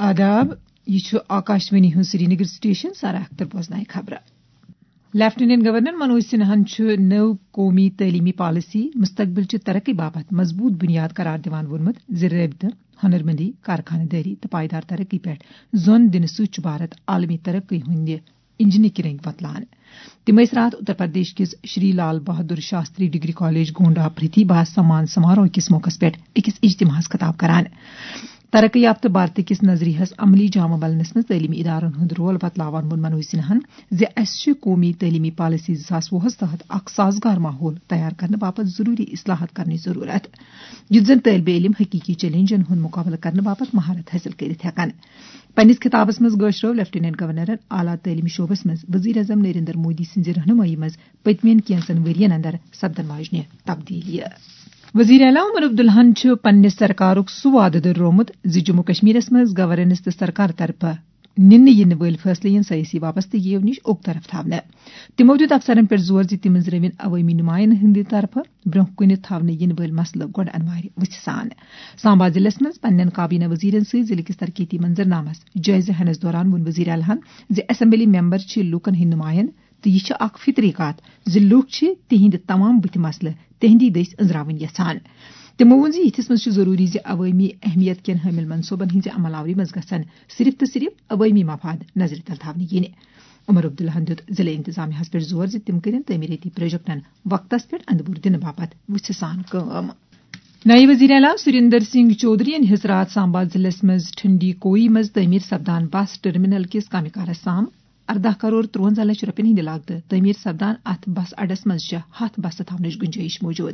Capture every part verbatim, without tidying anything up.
آداب، یہِ چھُ آکاشوانی ہُنٛد سرینگر سٹیشن۔ سارا اختر بوزنایہِ خبرٕ۔ لیفٹیننٹ گورنر منوج سنہاہن چھُ نٔو قومی تعلیمی پالیسی مستقبل چہِ ترقی باپتھ مضبوط بنیاد قرار دِوان ووٚنمُت زِ رٲبطہٕ، ہنرمندی، کارخانہٕ دٲری تہٕ پائیدار ترقی پٮ۪ٹھ زون دِنہٕ سۭتۍ چھُ بھارت عالمی ترقی ہٕنٛدِ انجنٕکۍ رنگ وۄتلان۔ تِم ٲسۍ راتھ اتر پردیش کِس شری لال بہادر شاستری ڈگری کالج گونڈا پرتھیبھا سمان سماروہ کِس موقعس پٮ۪ٹھ أکِس اجتماعس خطاب کران۔ ترقی یافتہٕ بھارت کِس نظریہس عملی جامہ بننس منٛز تعلیمی ادارن ہُنٛد رول بتلاوان ووٚن منوج سنہاہن زِ اسہِ چھِ قومی تعلیمی پالیسی زٕ ساس وُہس تحت اکھ سازگار ماحول تیار کرنہٕ باپتھ ضروری اصلاحات کرنٕچ ضرورت، یُتھ زن طٲلبہِ علم حقیقی چیلنجن ہُنٛد مقابلہٕ کرنہٕ باپتھ مہارت حٲصِل کٔرِتھ ہٮ۪کن۔ پننِس خطابس منٛز گٲشرٲو لیفٹیننٹ گورنرن اعلیٰ تعلیمی شعبس منٛز وزیر اعظم نریندر مودی سٕنٛزِ رہنمٲیی منٛز پٔتمٮ۪ن کینٛژن ؤرین اندر سپدن واجنہِ تبدیلیہِ۔ وزیر اعلیٰ عمر عبداللہن چھُ پننِس سرکارُک سُہ وعدٕ دۄہرومُت زِ جموں کشمیرس منٛز گورننس تہٕ سرکار طرفہٕ نِنہٕ یِنہٕ وٲلۍ فٲصلہٕ یِن سیٲسی وابستگیو نِش اوٚک طرف تھاونہٕ۔ تِمو دیُت افسرن پٮ۪ٹھ زور زِ تِم أنٛزرٲوِن عوٲمی نُمایندن ہٕنٛدِ طرفہٕ برٛونٛہہ کُنہِ تھاونہٕ یِنہٕ وٲلۍ مسلہٕ گۄڈٕ انوارِ وٕژھِ سان۔ سامبا ضلعس منٛز پننٮ۪ن کابینہ وزیرن سۭتۍ ضلعہٕ کِس ترقیتی منظرنامس جٲیزٕ ہٮ۪نس دوران ووٚن وزیر اعلیٰ ہن زِ اسمبلی ممبر چھِ لوٗکن ہٕنٛدۍ نُمایند تہٕ یہِ چھِ اکھ فطری کتھ زِ لوٗکھ چھِ تِہنٛدِ تمام بُتھِ مسلہٕ تِہنٛدی دٔسۍ أنٛزراوٕنۍ یژھان۔ تِمو ووٚن زِ یِتھِس منٛز چھُ ضروٗری زِ عوٲمی اہمیت کٮ۪ن حٲمِل منصوبن ہٕنٛزِ عمل آوری منٛز گژھن صرف تہٕ صرف عوٲمی مفاد نظرِ تل تھاونہٕ یِنہِ۔ عمر عبداللہن دیُت ضلعہٕ انتظامیہس پٮ۪ٹھ زور زِ تِم کٔرِن تعمیٖرٲتی پروجیکٹن وقتس پٮ۪ٹھ اندٕ بوٚر دِنہٕ باپتھ وٕژھِ سان کٲم۔ نایب وزیر اعلیٰ سریندر سنگھ چودھرین ہیٚژ راتھ سامبا ضلعس منٛز ٹھنڈی کوئی منٛز تعمیٖر سپدان بس ٹرمینل کِس کامہِ کارس سام ارداہ کرور ترٛونزہ لچھ رۄپین ہٕنٛدِ لاگتہٕ تعمیٖر سپدان اتھ بس اڈس منٛز چھِ ہتھ بسہٕ تھاونٕچ گُنجٲیِش موجود۔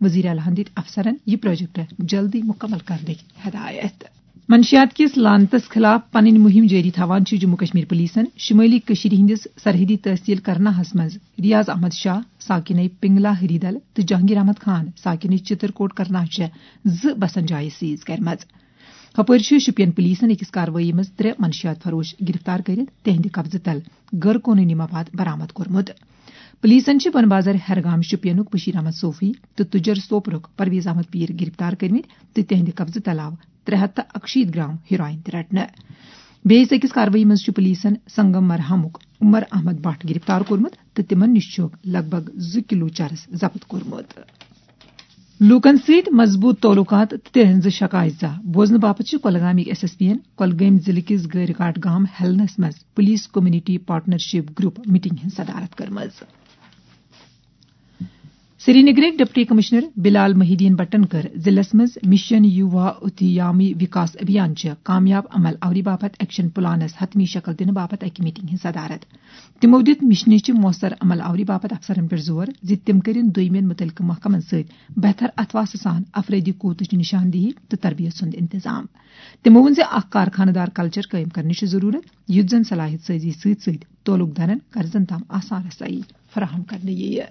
وزیر اعلیٰ ہن دِتۍ افسرن یہِ پروجیکٹ جلدی مُکمل کرنٕکۍ ہدایت۔ منشیات کِس لعنتس خلاف پنٕنۍ مُہِم جٲری تھاوان چھِ جموں کشمیر پولیسن شمٲلی کٔشیٖرِ ہٕنٛدِس سرحدی تحصیل کرناہس منٛز ریاض احمد شاہ، ساکنٕے پنگلا ہریدل تہٕ جہانگیر احمد خان، ساکنٕے چترکوٹ کرناہ چھِ زٕ بسن جایہِ سیز کرِمژٕ۔ ہپٲرۍ چھِ شُپین پولیسن أکِس کاروٲیی منٛز ترٛےٚ منشیات فروش گرفتار کٔرِتھ تِہنٛدِ قبضہٕ تل غٲر قونوٗنی مواد برآمد کوٚرمُت۔ پولیسن چھِ بن بازر ہیرگام شُپینُک بشیر احمد صوفی تہٕ تُجر سوپرُک پرویز احمد پیٖر گرفتار کٔرمٕتۍ تہٕ تِہنٛدِ قبضہٕ تل آو ترٛےٚ ہتھ تہٕ اکشیٖتھ گرام ہیروئن تہِ رٹنہٕ۔ بیٚیِس أکِس کاروٲیی منٛز چھُ پولیسن سنگم مرحمُک عمر احمد بٹ گرفتار کوٚرمُت تہٕ تِمن نِش چھُ لگ بگ زٕ کلو چرس ضبط کوٚرمُت۔ لوٗکن سۭتۍ مضبوٗط تعلقات تہٕ تِہنٛزٕ شکایژٕ بوزنہٕ باپتھ چھِ کۄلگامٕکۍ ایس ایس پی ین کۄلگٲمۍ ضلعہٕ کِس گٲرۍ گاٹ گام ہیلنس منٛز police community partnership group meeting ہٕنٛز صدارت کٔرمٕژ۔ سرینگرٕکۍ ڈپٹی کمشنر بلال محی الدین بٹن کٔر ضلعس منٛز مشن یووا اتیامی وکاس ابھیان چہِ کامیاب عمل آوری باپتھ ایکشن پلانس حتمی شکل دِنہٕ باپتھ اکہِ میٹنگ ہٕنٛز صدارت۔ تِمو دِیُت مشنہِ چہِ مؤثر عمل آوری باپتھ افسرن پٮ۪ٹھ زور زِ تِم کٔرِن دوٚیمٮ۪ن مُتعلقہٕ محکمن سۭتۍ بہتر اتھواسہٕ سان افرٲدی قوتٕچ نشاندہی تہٕ تربیت سُنٛد انتظام۔ تِمو ووٚن زِ اکھ کارخانہٕ دار کلچر قٲیِم کرنٕچ چھِ ضروٗرت، یُتھ زن صلاحیت سٲزی سۭتۍ سۭتۍ تعلق دارن قرضن تام آسان رسٲیی فراہم کرنہٕ یِیہِ۔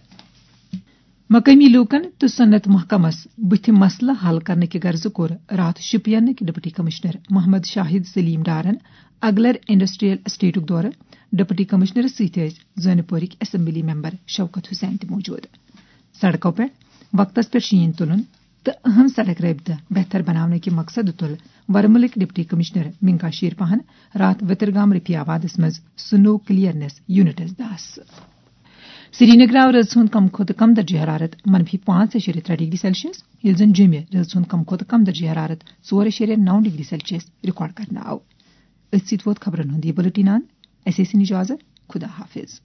مقٲمی لوٗکن تہٕ صنعت محکمس بُتھِ مسلہٕ حل کرنہٕ کہِ غرضہٕ کوٚر راتھ شُپینٕکۍ ڈپٹی کمشنر محمد شاہد سلیم ڈارن اگلر انڈسٹریل اسٹیٹُک دورٕ۔ ڈپٹی کمشنرس سۭتۍ ٲسۍ زٲنہٕ پورٕکۍ اسمبلی ممبر شوکت حسین تہِ موجود۔ سڑکو پٮ۪ٹھ وقتس پٮ۪ٹھ شیٖن تُلُن تہٕ اہم سڑک رٲبطہٕ بہتر بناونہٕ کہِ مقصدٕ تُل ورمُلٕکۍ ڈپٹی کمشنر منگا شیرپاہن راتھ وترگام رفیع آبادس منٛز سنو کلیئرنس یونٹس دس۔ سرینگر آو رٲژ ہُنٛد کم کھۄتہٕ کم درجہ حرارت منفی پانٛژھ اعشاریہ ترٛےٚ ڈگری سیلسیس، ییٚلہِ زن جوٚمہِ رٲژ ہُنٛد کم کھۄتہٕ کم درجہ حرارت ژور اعشاریہ نو ڈگری سیلسیس ریکارڈ کرنہٕ آو۔ أتھۍ سۭتۍ ووت خبرن ہُنٛد یہِ بُلٹن اند۔ اسہِ ٲسِن اجازت۔ خدا حافظ۔